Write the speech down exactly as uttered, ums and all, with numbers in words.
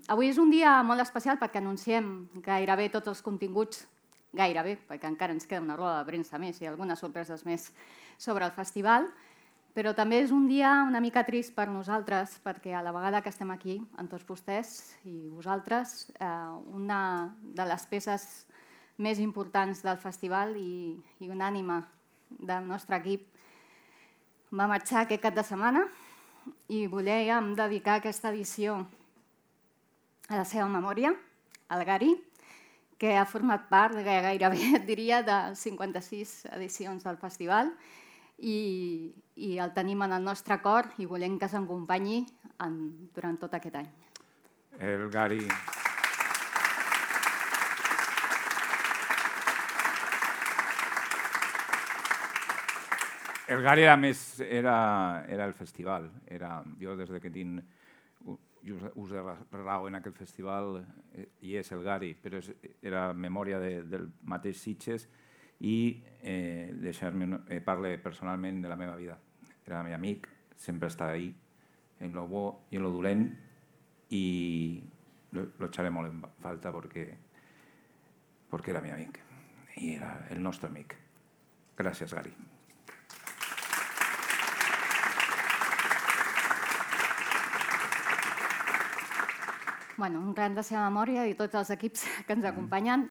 Avui és un dia molt especial perquè anunciem gairebé tots els continguts, gairebé, perquè encara ens queda una roda de premsa més i algunes sorpreses més sobre el festival, però també és un dia una mica trist per nosaltres perquè a la vegada que estem aquí, amb tots vostès i vosaltres, una de les peces més importants del festival i una ànima del nostre equip va marxar aquest cap de setmana i volíem dedicar aquesta edició a la seva memòria, al Gary, que ha format part gairebé, et diria, de cinquanta-sis edicions del festival i el tenim en el nostre cor i volem que s'acompanyi durant tot aquest any. El Gary... El Gary era més... era el festival. Jo, des que tinc ús de raó en aquest festival, i és el Gary, però era memòria del mateix Sitges i deixar-me parlar personalment de la meva vida. Era el meu amic, sempre està ahí, en lo bo i en lo dolent, i lo echaré molt en falta perquè era el meu amic i era el nostre amic. Gràcies, Gary. Un gran de seva memòria i tots els equips que ens acompanyen.